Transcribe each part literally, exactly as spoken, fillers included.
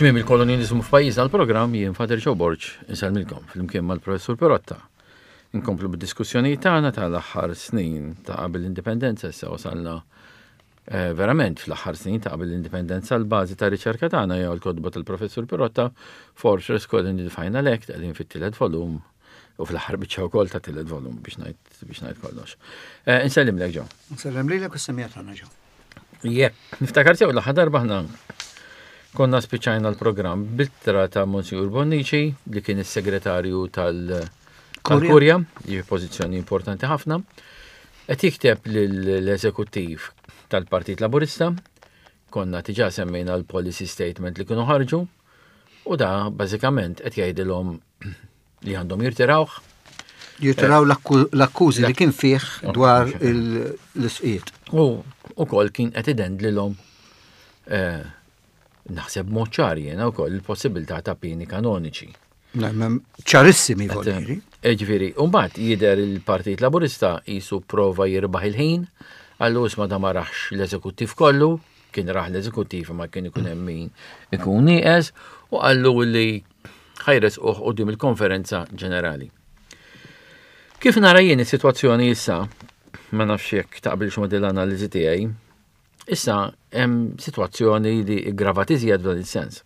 Tmiem il-kolonjaliżmu f'pajjiżna l-programm jien Father Joe Borg insellmilkom flimkien mal-Professur Perotta. Inkomplu bid-diskussjoni tagħna tal-aħħar snin ta' qabel l-indipendenza issa wasalna eh, verament fl-aħħar snin ta' qabel l-indipendenza l-bażi ta' riċerka tagħna jew l-kotba tal-Professur Perotta Fortress Colony the Final Act qegħdin fit-tielet volum u fl-aħħar biċċa wkoll ta' tielet volum biex ngħid biex ngħid kollox. Eh, Insellimlek Joe. Nsellem lilek u s-semmiegħa tagħna Joe. Jekk, niftakar sew l-aħħar darba ħna konna spiċċajna l-programm b'ittra ta' Monsignor Bonnici li kien is-segretarju tal- tal-Kurja, jiġi pożizzjoni importanti ħafna, qed jikteb lill-eżekuttiv tal-Partit Laburista, konna diġà semmejna l-policy statement li kienu ħarġu, u da bażikament qed jgħidilhom li għandhom jirtirawh. Jirtiraw l-akkużi li kien fih dwar l-isqiet. U ukoll kien qed idendlilhom eh, naħseb mod ċar jiena wkoll il-possibilità ta' pieni kanoniċi. Ċarissimi voliri. Ġifieri, mbagħad jidher il-Partit Laburista jisu prova jirbaħ il-ħin, għallu isma da ma raħx l-eżekuttiv kollu, kien raħ l-eżekuttiv ma kien ikun hemm min ikun nieqes, u qallu li ħa jressquh quddiem il-konferenza ġenerali. Kif nara jien is-sitwazzjoni issa, ma nafx jekk taqbilx ma' din l-analiżi tiegħi, issa hemm sitwazzjoni li ggravat iżjed f'dan is-sens.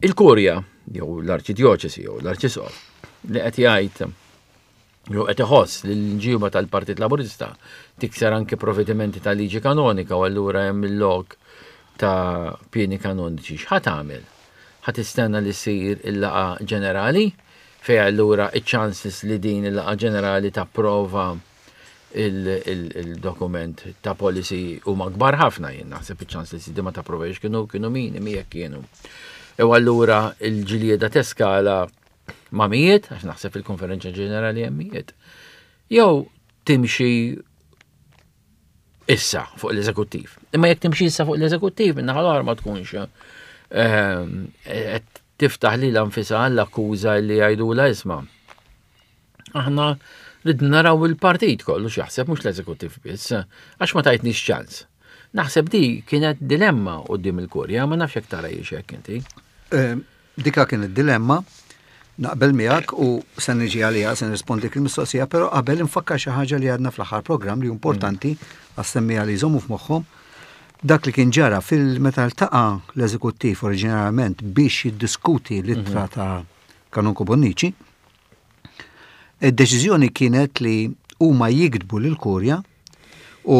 Il-Kurja, jew l-Arċidjoċesi, jew l-Arċisqof, li qed jgħid jew qed iħoss li l-ġiba tal-Partit Laburista tikser anke provvedimenti ta' liġi kanonika u allura hemm il-lok ta' pieni kanoniċi. X'ħa tagħmel? Ħa tistenna li ssir il-laqgħa ġenerali fej allura iċ-chances li din il-laqgħa ġenerali tapprova il-dokument ta' policy huma kbar ħafna jien naħseb iċ-chances li ma tapprovx kienu kienu minimi jekk kienu. U allura il-ġlieda teskala ma' mijiet, għax naħseb il-konferenza ġenerali hemm mijiet. Jew timxi issa fuq l-eżekuttiv. Imma jekk timxi issa fuq l-eżekuttiv, minnaħa l-oħra ma tkunx ehm, qed tiftaħ lilha nfisha l-akkuża li jgħidula isma'. Aħna rid naraw il-partit kollu x'jaħseb mhux l-eżekuttiv biss, għax ma tajtniex ċans. Naħseb di kienet dilemma quddiem il-kurja, ma nafx jekk tara hekk inti. Eh, Dika kienet dilemma, naqbel miegħek u se niġi għalija se nirrispondi il-mistoqsija, però qabel infakkar xi ħaġa li għadna fl-aħħar programm li importanti għas-semmiegħa li jżommu f'moħħhom. Dak li kien ġara fil-meta ltaqa' l-eżekuttiv oriġinarjament biex jiddiskuti l-ittra ta' Kanonku Bonnici, id-deċiżjoni kienet li huma jiktbu lil kurja u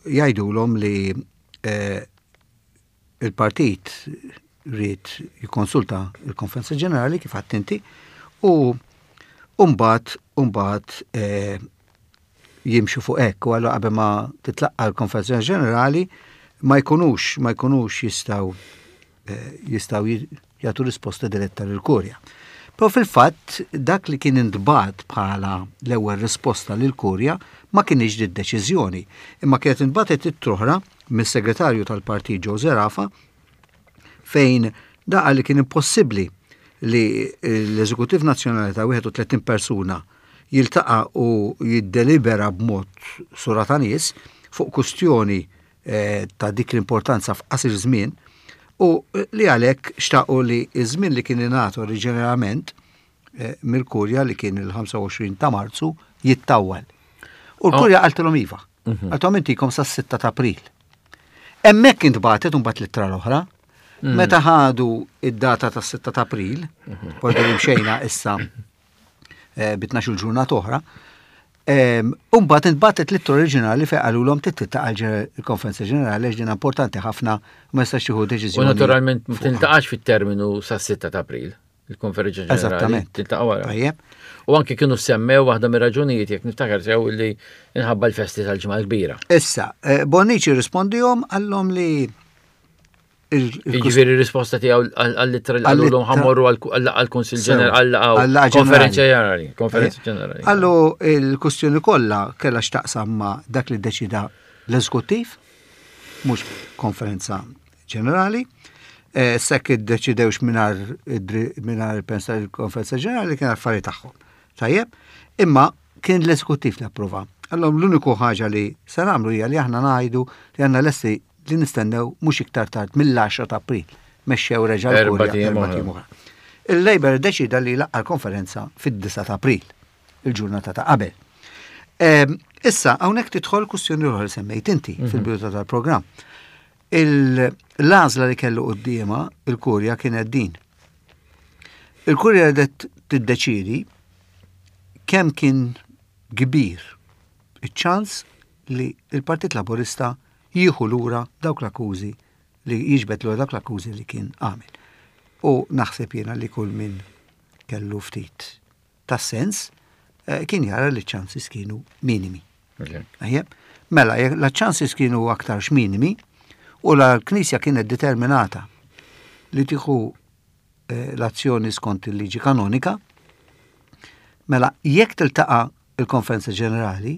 jgħidulhom li eh, il-partit ried jikkonsulta il-Konferenza Ġenerali kif għedt inti u mbagħad mbagħad eh, jimxu fuq hekk u allura qabel ma titlaqqa l-Konferenza Ġenerali ma jkunux ma jkunux jistgħu eh, jistgħu jagħtu risposta diretta lill-Kurja. Però fil-fatt dak li kien intbagħat bħala l-ewwel risposta lill-Kurja ma kienx di deċiżjoni, imma kienet intbagħtet ittra oħra mis-segretarju tal-partit Joe Zerafa fejn daqa li kien impossibbli li l-Eżekutiv Nazzjonali ta' wieħed u tletin persuna jiltaqa' u jiddelibera b'mod sura ta' nies fuq kustjoni eh, ta' dik l-importanza f'qasir żmien u li għalhekk xtaqu li iż-żmien li kien ingħata oriġinarjament eh, mill-Kurja li kien il-ħamsa u għoxrin ta' Marzu jittawwal. U l-Kurja qaltilhom iva. Mhm. Qaltilhom intikom sas-sitta ta' April. Hemmhekk intbagħtet imbagħad l-ittra l-oħra. Mm. Meta ħadu id-data tas-sitta ta' April, mm mxejna issa eh, bi tnax il-ġurnata oħra, Umbagħad intbagħtet l-ittra oriġinali fejn qalulhom titiltaqa' il-konferenza ġenerali għax din importanti ħafna u ma jistax jieħu deċiżjoni. U naturalment ma tiltaqax fit-terminu sas-sitta ta' April, il-konferenza ġenerali. Eżattament. Tiltaqa' wara. Tajjeb. U anki kienu semmew waħda mir-raġunijiet jekk niftakar sew li inħabba l-festi tal-ġimgħa l-kbira. Issa, eh, Bonnici rispondihom qallhom li Jiġifieri risposta tiegħu għall-ittra li qalulhom ħa mmorru għall-Kunsill Ġenerali, għall-Konferenza Ġenerali, Konferenza Ġenerali. Qallu il-kustjoni kollha kellha x'taqsam ma' dak li deċida l-eżekuttiv, mhux konferenza ġenerali. Eh, Sekk iddeċidewx mingħajr il-pensa il-konferenza ġenerali kien affari tagħhom. Tajjeb, imma kien l-eżekuttiv li approva. Allora l-uniku ħaġa li se nagħmlu hija li aħna ngħidu li għandna lesti li nistennew mhux iktar tard mill-għaxra ta' April. Mexxew reġa' l-Kurja erba' ijiem oħra. Il-Labour deċida li laqqa l-konferenza fid-disgħa ta' April, il-ġurnata ta' qabel. Issa, hawnhekk tidħol kwistjoni oħra li semmejt inti mhm. fil-bidu tal-programm. L-għażla li kellu quddiemha il-Kurja kienet din. Il-Kurja qed tiddeċidi kemm kien kbir iċ-ċans li il-Partit Laburista jieħu lura dawk l-akkużi li jiġbed lura dawk l-akkużi li kien għamel. U naħseb jiena li kull min kellu ftit ta' sens eh, kien jara li ċansis kienu minimi. Mela, la ċansis kienu aktarx minimi u la l-Knisja kienet determinata li tieħu eh, l-azzjoni skont il-liġi kanonika, mela jekk tiltaqa' il-Konferenza Ġenerali,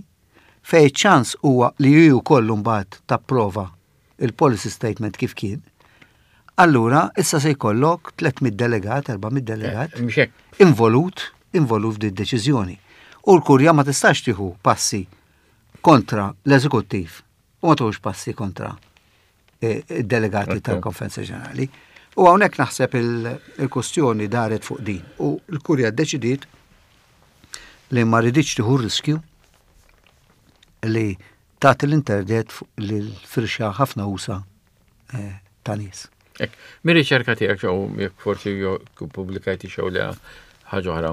fej ċans huwa li ju kollu mbagħad tapprova il-policy statement kif kien, allura issa se jkollok tliet mitt delegat, erba' mitt delegat eh, involut, involut f'di deċiżjoni. U l-Kurja ma tistax tieħu passi kontra l-eżekuttiv u ma tieħux passi kontra eh, id-delegati tal-Konferenza Ġenerali. U hawnhekk naħseb il-kustjoni daret fuq din. U l-Kurja ddeċidiet li ma riditx tieħu riskju li tagħti l-interdet lil firxa ħafna usa' eh, ta' nies. Mir-riċerka tiegħek jew jekk forsi pubblikajti xew li ħaġa oħra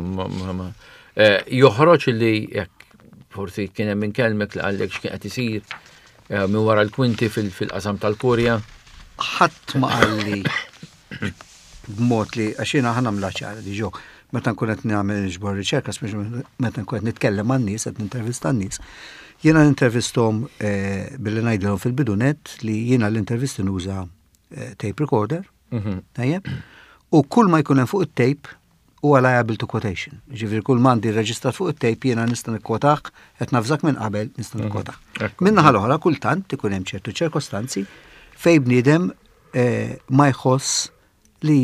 eh, joħroġ li jekk forsi kien hemm kelmek li qallek x'kien qed isir eh, minn wara l-kwinti fil-qasam tal-Kurja. Ħadd ma qalli b'mod li għax jiena ħa nagħmilha ċara diġà meta nkun qed nagħmel niġbor riċerka, speċi meta nkun qed nitkellem man-nies, qed nintervista n-nies. Jiena nintervisthom eh, billi ngħidilhom fil-bidunet li jiena l-intervisti nuża eh, tape recorder, mhm. tajjeb, u kull ma jkun hemm fuq it-tape huwa liable to quotation. Ġifieri kull m'għandi reġistrat fuq it-tape jiena nista' nikkwotah, qed navżak minn qabel nista' mhm. nikkwotah. Min-naħa l-oħra kultant ikun hemm ċertu ċirkostanzi fej bniedem eh, ma jħoss li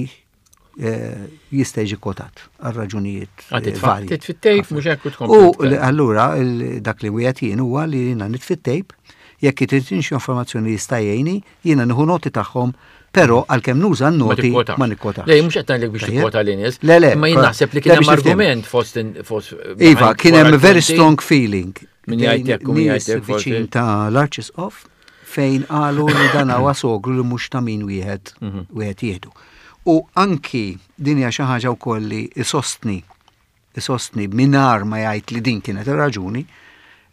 eh, jista' jiġi kwotat għal raġunijiet eh, varji. Titfi t-tape mhux hekk U allura dak li wieħed jien huwa li jiena nitfi t-tape, jekk irid xi informazzjoni jista' jgħinni, jiena nieħu noti tagħhom. Però għalkemm nuża n-noti ma nikkwota. Le, mhux qed ngħidlek biex tikkwota lin-nies. Le, le. Ma jien naħseb li kien hemm argument fost fost Iva, kien hemm very strong feeling. Min jgħid hekk u min jgħid hekk viċin ta' l-Arċisqof fejn qalu li dan huwa sogru li mhux ta' min wieħed mhm. wieħed jieħdu. U anki din hija xi ħaġa wkoll li isostni isostni mingħajr ma jgħid li din kienet ir-raġuni,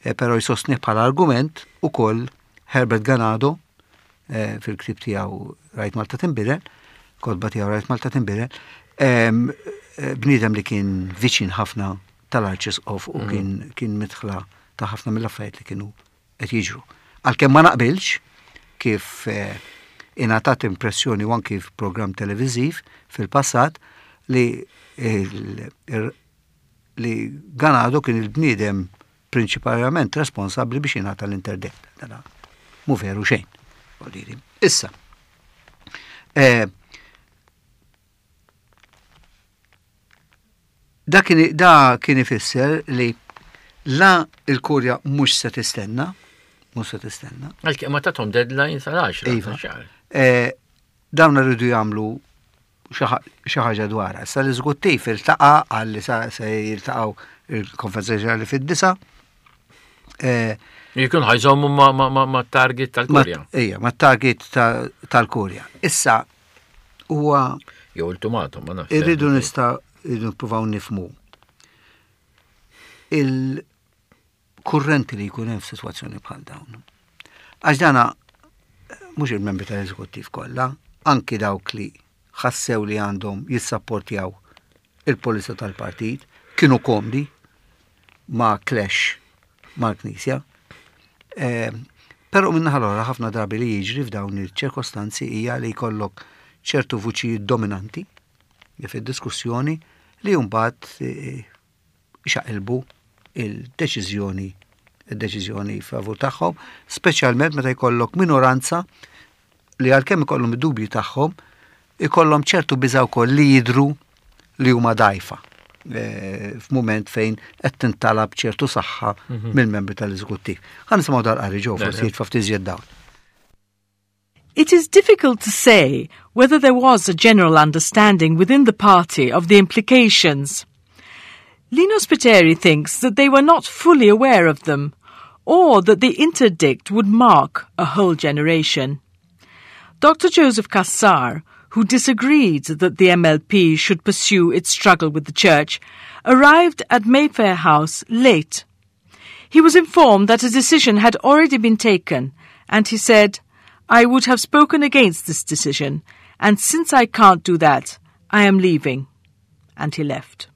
eh, però jsostni bħala argument ukoll Herbert Ganado eh, fil-ktib tiegħu Rajt Malta Tinbidel, kotba tiegħu Rajt Malta Tinbidel, eh, bniedem li kien viċin ħafna tal-Arċisqof u mm. kien kien midħla ta' ħafna mill-affarijiet li kienu qed jiġru. Għalkemm ma naqbilx kif eh, ingħatat impressjoni u anki f'programm televiżiv fil-passat li li Ganado kien il-bniedem prinċipalment responsabbli biex jingħata l-interdict. Dana mhu veru xejn. Issa, eh, da kien da kien ifisser li la il-Kurja mhux se tistenna, mhux se tistenna. Għalkemm ma tathom deadline sal-għaxra. Iva. Eh, dawn rridu jagħmlu xi ħaġa dwarha. Issa l-eżekuttiv iltaqa' qal li se jiltaqgħu il-Konferenza Ġenerali fid-disa. Eh, Jkun ħa jżommu ma' target tal-Kurja. Ija, ma' target tal-Kurja. Issa huwa Jew ultimatum, ma nafx. Irridu nista' irridu nippruvaw nifhmu il-kurrenti li jkun hemm f'sitwazzjoni bħal dawn. Għax dana mhux il-membri tal-eżekuttiv kollha, anki dawk li ħassew li għandhom jissapportjaw il-polizja tal-partit, kienu komdi ma' clash mal-Knisja. Eh, Però min-naħa l-oħra ħafna drabi li jiġri f'dawn il-ċirkostanzi hija li jkollok ċertu vuċijiet dominanti li fid-diskussjoni li mbagħad eh, xaqilbu il-deċiżjoni il-deċiżjoni favur tagħhom, speċjalment meta jkollok minoranza li għalkemm ikollhom id-dubji tagħhom, ikollhom ċertu biża' wkoll li jidru li huma dajfa eh, f'mument fejn qed tintalab ċertu saħħa mhm. mill-membri tal-eżekuttiv. Ħa nisimgħu dal-qari ġew forsi jitfa' ftit iżjed dawl. It is difficult to say whether there was a general understanding within the party of the implications. Lino Spiteri thinks that they were not fully aware of them, or that the interdict would mark a whole generation. Doctor Joseph Cassar, who disagreed that the M L P should pursue its struggle with the church, arrived at Mayfair House late. He was informed that a decision had already been taken, and he said, "I would have spoken against this decision, and since I can't do that, I am leaving." And he left.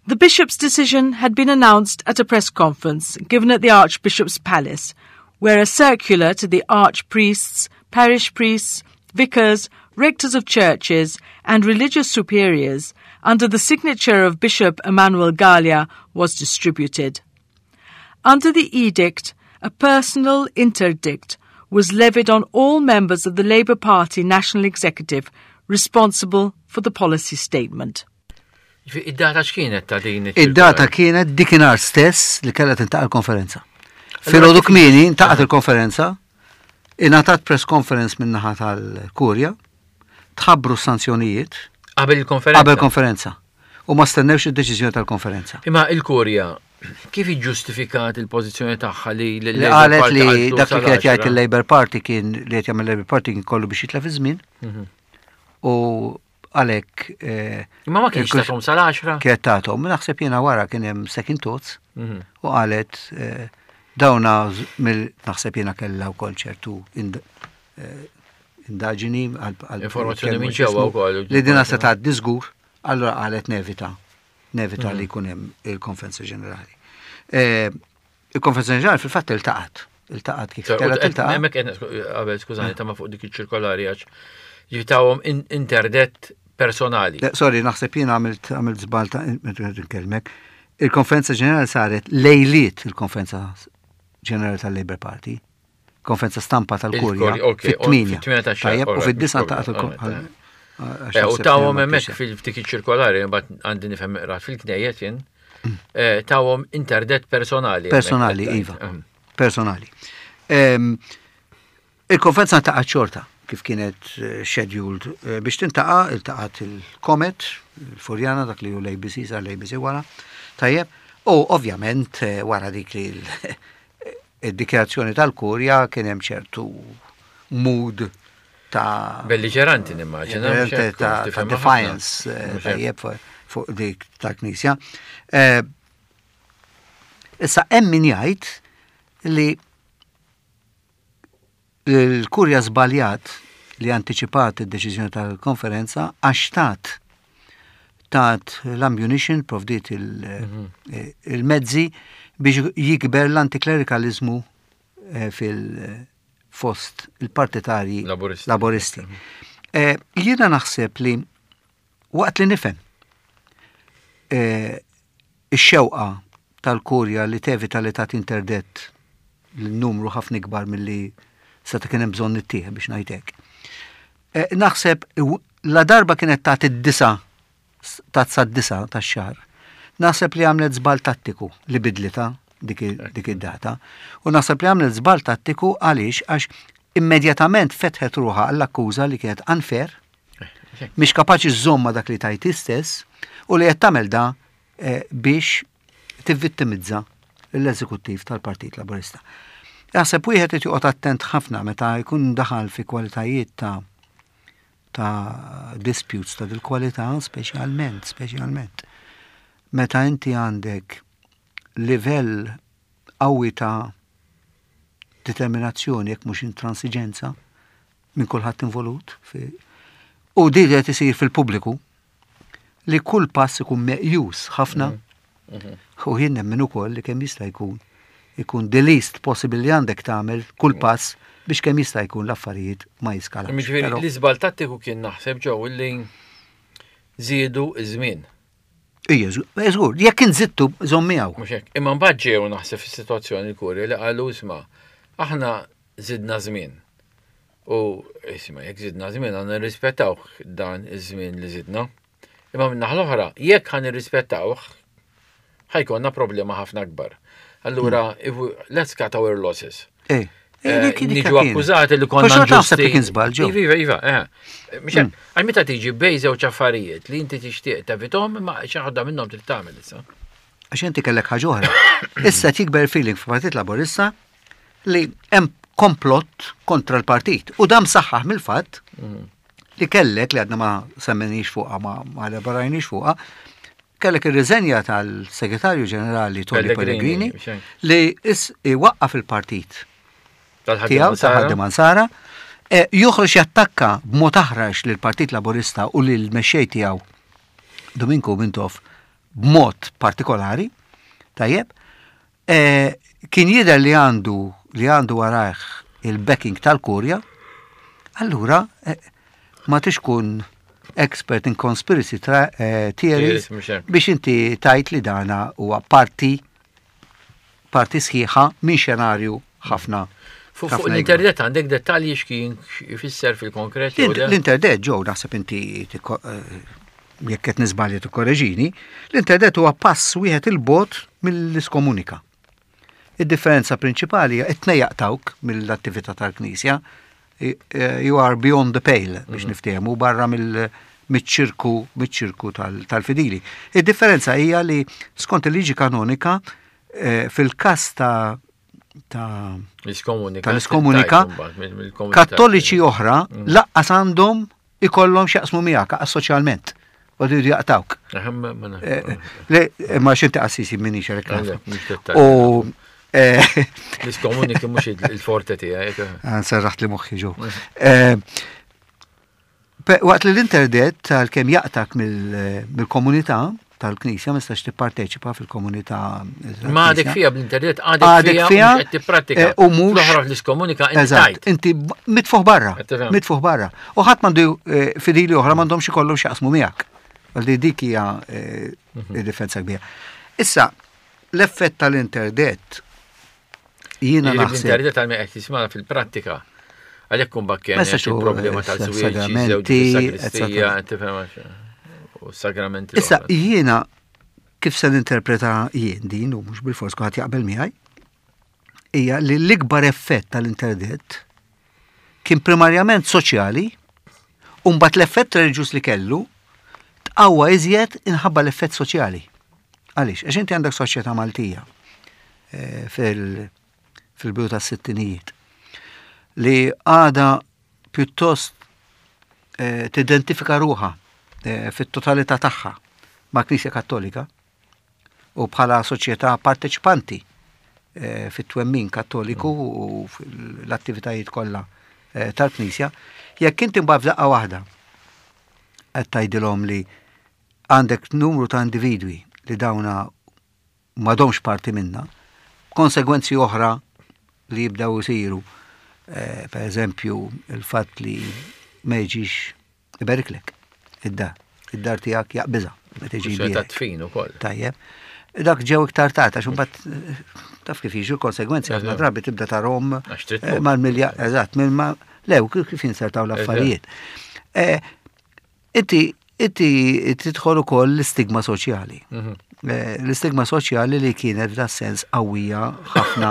The bishop's decision had been announced at a press conference given at the Archbishop's Palace, where a circular to the archpriests, parish priests, vicars, rectors of churches, and religious superiors under the signature of Bishop Emmanuel Galea was distributed. Under the edict, a personal interdict was levied on all members of the Labour Party National Executive responsible for the policy statement. Id-data x'kienet ta' din? Id-data kienet dakinhar stess li kellha tiltaqa' l-konferenza. Filgħodu kmieni iltaqgħet il-konferenza, ingħatat press conference min-naħa tal-Kurja, tħabbru sanzjonijiet. Qabel il-konferenza? Qabel konferenza. U ma stennewx id-deċiżjoni tal-konferenza. Imma il-Kurja kif iġġustifikat il-pożizzjoni tagħha li Li qalet li dak li kienet jgħid il-Labour Party kien li qed jagħmel Labour Party kien kollu biex jitlef iż-żmien. Mhm. U għalhekk. Eh, Imma ma kienx tathom sal-għaxra? Kienet tathom, naħseb jiena wara kien hemm second thoughts mhm. u qalet eh, dawna mill naħseb jiena kellha wkoll ċertu eh, indaġini għal informazzjoni minn ġewwa wkoll. Li dina se tgħaddi żgur, allura qalet nevita nevita li mhm. jkun hemm il-konferenza ġenerali. Il-konferenza ġenerali fil-fatt iltaqgħet. Iltaqgħet kif kellha tiltaqa'. Hemmhekk qed qabel, skużani, ta' fuq dik iċ-ċirkolari għax ġitawhom interdett personali. Sorry, naħseb jien għamilt għamilt żball ta' nkellmek. Il-konferenza ġenerali saret lejliet il-konferenza ġenerali tal-Labour Party. Konferenza stampa tal-Kurja. Fit-tmienja. Tajjeb, u fid-disgħa ta' eh, U tawhom hemmhekk fil-ftik ċirkolari, mbagħad għandi nifhem fil-knejjet jien, mm. eh, tawhom interdett personali. Personali, iva. Mm. Personali. Il-konferenza ta' xorta kif kienet eh, scheduled eh, biex tiltaqa', iltaqgħet il-Comet, il-Furjana, dak li hu l-A B C, sar l-A B C wara. Tajjeb, u ovvjament eh, wara dik li id-dikjarazzjoni tal-Kurja kien hemm ċertu mood ta' Belliġeranti nimmaġina. Ta' defiance, tajjeb, fuq dik ta' knisja. Issa hemm min jgħid li l-Kurja żbaljat li antiċipat id-deċiżjoni tal-konferenza għax tat tat l-ammunition, provdiet mhm. il-mezzi biex jikber l-antiklerikalizmu eh, fil-fost il-partitarji laboristi. Mhm. Eh, jiena naħseb li waqt li nifhem eh, ix-xewqa tal-Kurja li tevita li tat interdett l-numru ħafna ikbar milli seta' kien hemm bżonn ittieħ biex ngħidlek. Eh, naħseb la darba kienet ta' id-disgħa ta' sad-disgħa tax-xahar. Naħseb li għamlet żball tattiku li bidlitha dik id-data. U naħseb li għamlet żball tattiku għaliex għax immedjatament fetħet ruħha għall-akkuża li kienet unfair, mhix kapaċi żżomm dak li tajt istess u li qed tagħmel da eh, biex tivvittimizza l-eżekuttiv tal-Partit Laburista. Jaħseb wieħed qed joqgħod attent ħafna meta jkun daħal fi kwalitajiet ta' ta' disputes ta' dil-kwalità, speċjalment, speċjalment. Meta inti għandek livell qawwi ta' determinazzjoni, jekk mhux intransiġenza, minn kulħadd involut u di qed isir fil-pubbliku li kull pass ikun meqjus ħafna mm -hmm. u jien nemmen ukoll li kemm jista' jkun ikun the least possible li għandek tagħmel kull pass biex kemm jista' jkun l-affarijiet ma jiskalax. Jiġifieri l-iżball tattiku kien naħseb ġew illi żiedu iż-żmien. Ija, żgur, jekk inżittu żomm miegħu. Mhux hekk. Imma mbagħad ġew naħseb fis-sitwazzjoni l-Kurja li qalu, "Isma', aħna żidna żmien. U isma', jekk żidna żmien għandna nirrispettawh dan iż-żmien li żidna. Imma minn naħa l-oħra, jekk ħa nirrispettawh, ħa jkollna problema ħafna akbar. Allura, hmm. let's cut our losses." Eh. Eh, niġu akkużati li konna taħseb li kien żball ġew. Iva, iva, eh. Mm. Għal meta tiġi bejn żewġ affarijiet li inti tixtieq tevitahom, ma xi ħaġa minnhom trid tagħmel issa. Għax inti kellek ħaġa oħra. Issa tikber feeling f'Partit Laburista li hemm komplott kontra l-partit. U dam saħħaħ mill-fatt mm. li kellek li għadna ma semmenix fuqha, ma ma elaborajniex fuqha, kellek ir-riżenja tal-Segretarju Ġenerali Tony Pellegrini li is waqqaf il-partit tiegħu tal-Ħaddiema Nsara, e, joħroġ jattakka b'mod aħrax lill-Partit Laburista u lil mexxej tiegħu Duminku Mintoff b'mod partikolari, tajjeb, e, kien jidher li għandu li għandu warajh il-backing tal-Kurja, allura e, ma tixkun expert in conspiracy theories biex inti tajt li dana huwa parti parti sħiħa minn xenarju ħafna. Fuq l-internet għandek dettalji x'kien jfisser fil-konkret? L-internet ġew naħseb inti eh, jekk qed niżbalja tikkoreġini, l-internet huwa pass wieħed il-bogħod mill-iskomunika. Id-differenza prinċipali hija it-tnejn jaqtgħuk mill-attività tal-Knisja. Eh, you are beyond the pale biex mhm. niftehmu barra mill- miċ-ċirku miċ-ċirku tal-fidili. Id-differenza hija li skont il-liġi kanonika eh, fil-każ ta' ta' tal-iskomunika kattoliċi oħra mm. lanqas għandhom ikollhom x'jaqsmu miegħek soċjalment u jridu jaqtgħuk. Eh, le, ma xinti qassisi minni xerek. U eh, l-iskomuniki mhux il-forte tiegħek. Serraħt li moħħi ġo. Eh, waqt li l-internet tal-kem jaqtgħak mill-komunità tal-Knisja, ma tistax tipparteċipa fil-komunità. Ma għadek fija bl-internet, għadek fija, qed tipprattika. U mhux l-oħra l-iskomunika inti. Inti mitfuħ barra, mitfuħ barra. U ħadd m'għandu eh, fidili oħra m'għandhomx ikollhom x'jaqsmu miegħek. Għaldi dik hija eh, mhm. id-differenza kbira. Issa, l-effett tal-internet jiena naħseb. L-internet għal qed jismana fil-prattika. Għalhekk kun bakken il-problema tal-żwieġ, sagristija, u sagramenti. Issa jiena kif se ninterpreta jien din u mhux bil-fors kulħadd jaqbel miegħi, hija li l-ikbar effett tal-internet kien primarjament soċjali u mbagħad l-effett reliġjuż li kellu tqawwa iżjed inħabba l-effett soċjali. Għaliex? Għax inti għandek soċjetà Maltija eh, fil-bidu tas-sittinijiet li għada pjuttost eh, tidentifika ruħha eh, fit-totalità tagħha ma' Knisja Kattolika u bħala soċjetà parteċipanti eh, fit-twemmin kattoliku u fl-attivitajiet kollha eh, tal-Knisja, jekk inti mbagħad f'daqqa waħda qed tgħidilhom li għandek numru ta' individwi li dawna m'għadhomx parti minna, konsegwenzi oħra li jibdew isiru, eh, per eżempju, il-fatt li ma jiġix iberiklek id-dar, id-dar tiegħek jaqbiżha meta jiġi Ta' jbierek. tfin ukoll. Tajjeb. Dak ġew iktar tard, għax imbagħad eh, taf kif jiġu l-konsegwenzi, ħafna drabi tibda tarahom Għax trid eh, tmut. mal-milja, eżatt, minn ma lew kif kif jinsertaw l-affarijiet. Eh, Inti inti tidħol ukoll l-istigma soċjali. Mhm. Eh, L-istigma soċjali li kienet f'da sens qawwija ħafna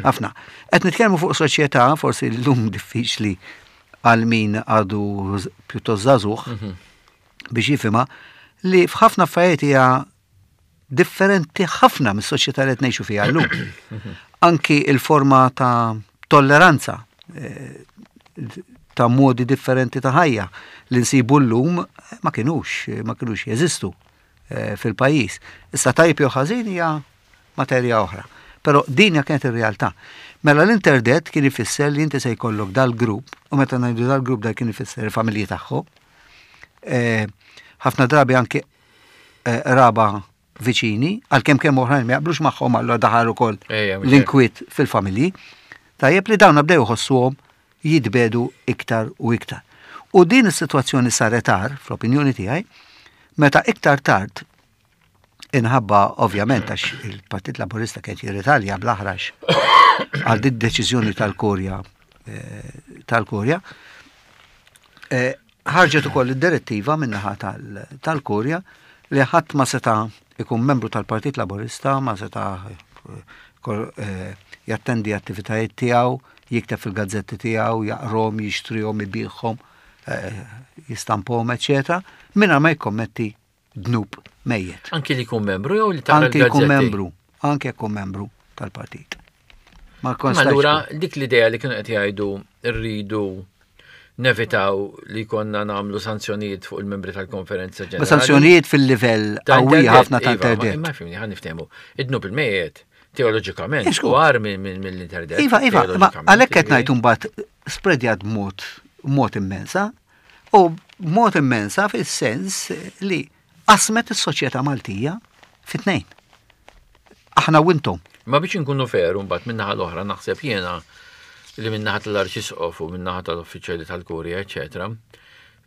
ħafna. Qed nitkellmu fuq soċjetà forsi llum diffiċli għal min għadu pjuttost żagħżugħ biex jifhimha li f'ħafna affarijiet hija differenti ħafna mis-soċjetà li qed ngħixu fiha llum. Anki il-forma ta' tolleranza eh, ta' modi differenti ta' ħajja li nsibu llum ma kinux ma kinux jeżistu eh, fil-pajjiż. Issa tajb jew ħażin hija materja oħra. Però din hija kienet ir-realtà. Mela l-internet kien ifisser li inti se jkollok dal-grupp, u meta ngħidu dal-grupp dal kien ifisser il-familji tagħhom. Eh, ħafna drabi anke eh, raba viċini, għalkemm kemm oħrajn ma jaqblux magħhom allura daħal ukoll Ejja, mhux l-inkwiet fil-familji. Tajjeb li dawn bdew jħossuhom jitbedu iktar u iktar. U din is-sitwazzjoni saret tard, fl-opinjoni tiegħi, meta iktar tard inħabba ovvjament għax il-Partit Laburista kien jirritalja bl-aħrax għal din deċiżjoni tal-Kurja eh, tal-Kurja. Eh, ħarġet ukoll id-direttiva min-naħa tal- tal-Kurja li ħadd ma seta' ikun membru tal-Partit Laburista, ma seta' eh, kol- eh, jattendi attivitajiet tiegħu Jikteb fil-gazzetti tiegħu, jaqrahom, jixtrihom, ibigħhom, eh, jistampahom, eċetera, mingħajr ma jikkommetti dnub mejjet. Anki li jkun membru jew li tara Anke jkun l-gazzetti? Membru, anke jkun membru tal-partit. Ma Ma konstax. Allura dik l-idea li kienu qed jgħidu rridu nevitaw li konna nagħmlu sanzjonijiet fuq il-membri tal-konferenza ġenerali. Ma sanzjonijiet fil-livell Ta' qawwi interdett, ħafna ta' iva, ma- interdett. Imma fimni, ħa niftehmu. Id-dnub il-mejjet, teoloġikament, Iżgur. u agħar mill-interdett. Iva, iva, ma teoloġikament, għalhekk qed jiġifieri. ngħid mbagħad spredjat b'mod mod immensa u mod immensa fis-sens li qasmet is-soċjetà Maltija fit-tnejn. Aħna u intom. Ma biex nkunu fair, mbagħad min-naħa l-oħra naħseb jiena li min-naħa tal-Arċisqof u min-naħa tal-uffiċjali tal-Kurja, eċetera.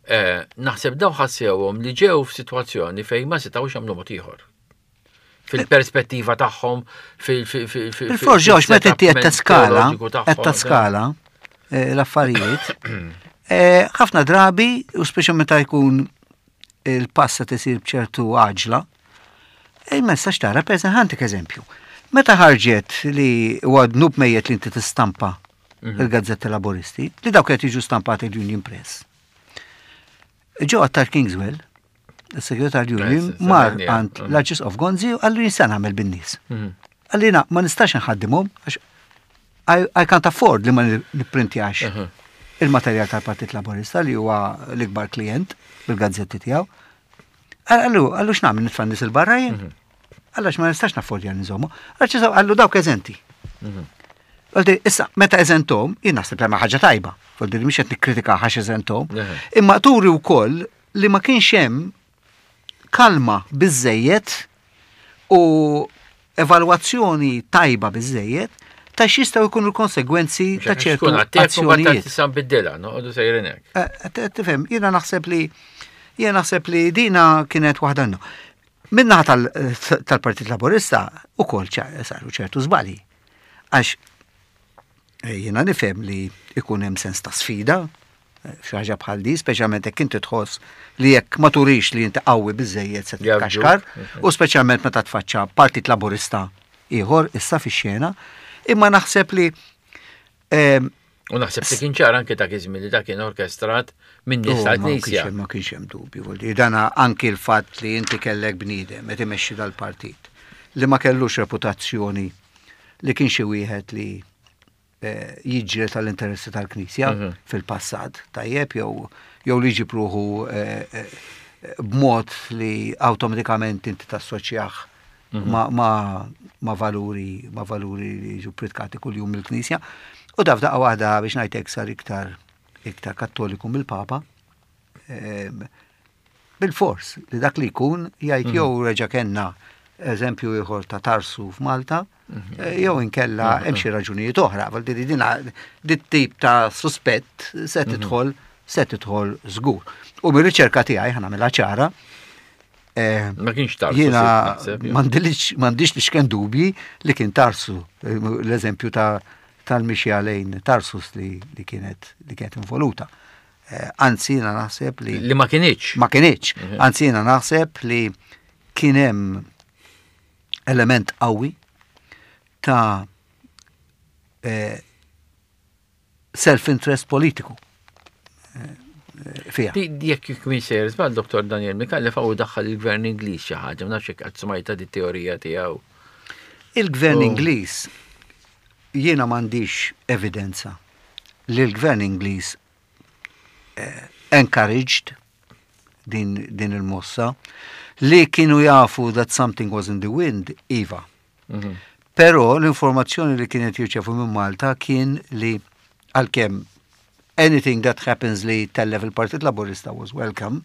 Eh, naħseb daw ħassewhom li ġew f'sitwazzjoni fejn ma setgħux jagħmlu mod ieħor. Fil-perspettiva tagħhom, fil fil fil fil Bil-fors ġewx meta inti qed teskala, teoloġiku tagħhom, qed taskala eh, l-affarijiet, eh, ħafna drabi, u speċi meta jkun il-pass qed isir b'ċertu għaġla, eh, ma nistax tara, per eżempju, ħa ntik eżempju. Meta ħarġet li huwa dnub mejjet li inti tistampa il-gazzetti Laboristi, li dawk qed jiġu stampati l-Union Press. Ġo Attard Kingswell, il-segretarju Union, Eh, mar s- għand mm. l-Arċisqof Gonzi u qallu jien se nagħmel bin-nies. Mhm. Qalli na, ma nistax nħaddimhom għax I, I can't afford li ma nipprintjax Mhm. il-materjal tal-Partit Laborista li huwa l-ikbar klient bil-gazzetti tiegħu. Qallu, qallu x'nagħmel nitfa' nies 'il barra jien? Għax ma nistax naffordja nżommu. Għax qallu dawk eżenti. Għaldi, issa, meta eżentom, jien naħseb li ma ħaġa tajba. Għaldi, mhix qed nikkritika għax eżentom. Eħe. Imma turi wkoll li ma kienx hemm kalma biżejjed u evalwazzjoni tajba biżejjed ta' x'jistgħu jkunu l-konsegwenzi ta' ċertu Tkun għattek u azzjonijiet. tista' nbiddilha, noqogħdu sejrin hekk. Eh, t- Tifhem, jiena naħseb li jiena naħseb li dina kienet waħda no. Min-naħa tal- tal-Partit Laborista ukoll ċa- saru ċertu żbalji. Għax eh, jiena nifhem li ikun hemm sens ta' sfida, eh, xi ħaġa bħal di, speċjalment jekk inti tħoss li jekk ma turix li inti qawwi biżejjed se Jabġuk. titkaxkar, u speċjalment meta tfaċċa Partit Laborista ieħor issa fix-xena, imma naħseb li ehm, U naħseb li kien ċar anke dak iż-żmien li dak kien orkestrat minn nies Oh, ma kienx tal-Knisja. hemm- Ma kienx hemm dubju. Vuol dire, dana anki l-fatt li inti kellek bniedem qed imexxi dal-partit li ma kellux reputazzjoni li kien xi wieħed li eh, jiġri tal-interessi tal-Knisja Mhm. fil-passat, tajjeb jew jew li jġib ruħu eh, eh, b'mod li awtomatikament inti tassoċjah ma, ma, ma valuri ma valuri li jiġu pritkati kuljum mill-Knisja. U daf daqqa waħda biex ngħidlek sar iktar iktar kattoliku mill-Papa. Em, Bil-fors li dak li jkun jgħid jew reġa' kellna eżempju ieħor ta' Tarsu f'Malta, eh, jew inkella hemm xi raġunijiet oħra, vuol dire dina dit tip ta' suspett se tidħol se tidħol żgur. U mir-riċerka tiegħi ħa nagħmilha ċara, eh, Ma kienx Tarsu. Jiena naħseb, jew. m'għandix m'għandix li xken dubji li kien Tarsu, eh, l-eżempju ta' tal-mixja lejn Tarsus li, li kienet li kienet involuta. Eh, Anzi, jiena naħseb li Li ma kienx. ma kienx. Anzi, jiena naħseb li kien hemm element qawwi ta' eh, self-interest politiku eh, eh, fija. Di jekk jkun sejjer żball Dottor Daniel Micallef hawn daħħal il-gvern Ingliż xi ħaġa, ma nafx jekk qatt smajta di teorija tiegħu. Il-gvern Oh. Ingliż jiena m'għandix evidenza li l-gvern Ingliż eh, encouraged din, din il-mossa li kienu jafu that something was in the wind, iva. Mhm. Però l-informazzjoni li kienet jirċevu minn Malta kien li għalkemm anything that happens li tellef il-Partit Laborista was welcome,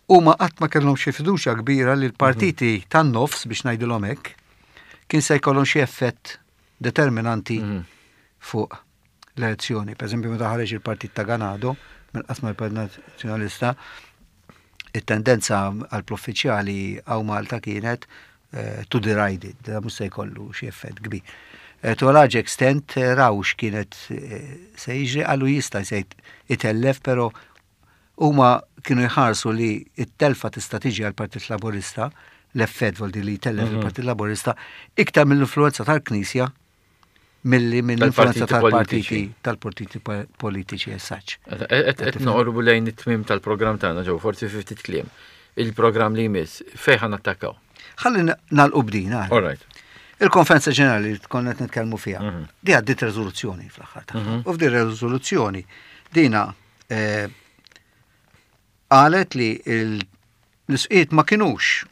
u ma qatt ma kellhom xi fiduċja kbira li l-partiti tan-nofs biex ngħidilhom hekk kien se jkollhom xi effett determinanti Mhm. fuq l-elezzjoni. Per eżempju, meta ħareġ il-partit ta' Ganado, minn qasma l-Partit Nazzjonalista, it-tendenza għall-uffiċjali hawn Malta kienet eh, to deride it, da mhux se jkollu xi effett kbir. Eh, to a large extent, eh, raw x'kienet eh, se jiġri qallu jista' se jitellef, però huma kienu jħarsu li it-telfa tista' tiġi għal-Partit Laborista, l-effett vuol dire li jtellef il-Partit Laborista, iktar mill-influenza tal-Knisja milli mill-influenza Tal-partiti tal-partiti tal-partiti politiċi as such. Qed noqorbu lejn it-tmim tal-programm tagħna ġew forsi fi ftit kliem. Il-programm li jmiss fejn ħa nattakkaw? Ħalli nagħlqu b'din. All right. Il-konferenza ġenerali li konna qed nitkellmu fiha, Mhm. di għaddit rezoluzzjoni fl-aħħar tagħha. U f'din rezoluzzjoni dina eh, qalet li il- l-isqfijiet ma kinux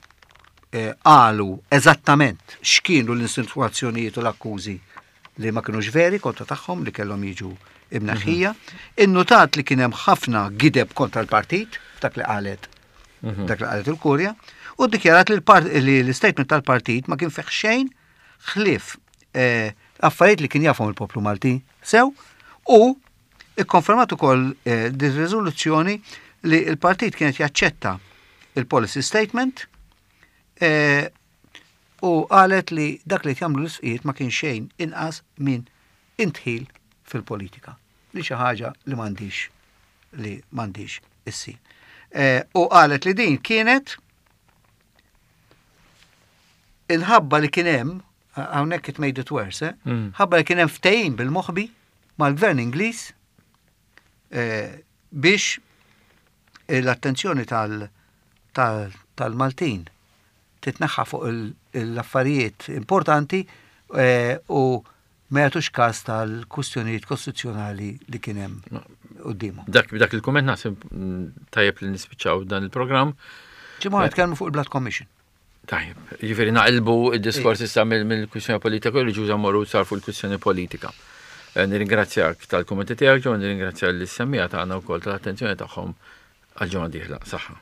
eh, qalu eżattament x'kienu l-insinuazzjonijiet u l-akkużi li ma kinux veri kontra tagħhom li kellhom jiġu imneħħija. Innutat li kien hemm ħafna gideb kontra l-partit, dak li qalet dak li qalet il-Kurja, u ddikjarat li l-part- li l-statement tal-partit ma kien fih xejn ħlief eh, affarijiet li kien jafhom il-poplu Malti sew u ikkonfermat ukoll eh, din riżoluzzjoni li l-partit kienet jaċċetta il-policy statement eh, u qalet li dak li jagħmlu l-isqfijiet ma kien xejn inqas minn indħil fil-politika. Li xi ħaġa li m'għandix li m'għandix issir. Eh, u qalet li din kienet inħabba li kien hemm hawnhekk it made it worse, eh? Mm. ħabba li kien hemm ftehim bil-moħbi mal-gvern Ingliż eh, biex l-attenzjoni tal- tal- tal-Maltin titneħħa fuq il- l-affarijiet importanti eh, u ma jagħtux każ tal-kwistjonijiet kostituzzjonali li kien hemm quddiemhom. Dak dak il-kumment naħseb mm, tajjeb li nispiċċaw dan il-programm. Ġimgħa nitkellmu fuq il-Blood Commission. Tajjeb, jiġifieri naqilbu id-diskors issa mill- mill-kwistjoni politika u reliġjuża morru sar fuq il-kwistjoni politika. Eh, Nirringrazzjak tal-kummenti tiegħek ġo, nirringrazzja lis-semmiegħa tagħna wkoll tal-attenzjoni tagħhom għal ġimgħa dieħla. Saħħa.